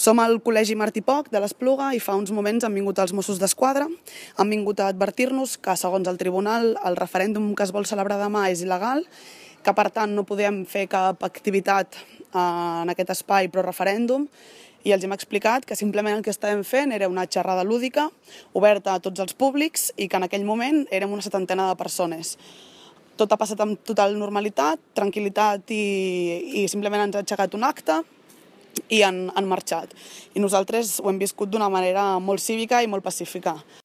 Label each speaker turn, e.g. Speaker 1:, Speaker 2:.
Speaker 1: Som al Col·legi Martí Poch de l'Espluga i fa uns moments han vingut els Mossos d'Esquadra, han vingut a advertir-nos que, segons el tribunal, el referèndum que es vol celebrar demà és il·legal, que per tant no podem fer cap activitat en aquest espai pro-referèndum, i els hem explicat que simplement el que estàvem fent era una xerrada lúdica, oberta a tots els públics, i que en aquell moment érem una 70 de persones. Tot ha passat amb total normalitat, tranquil·litat i simplement ens ha aixecat un acte i han marxat. I nosaltres ho hem viscut d'una manera molt cívica i molt pacífica.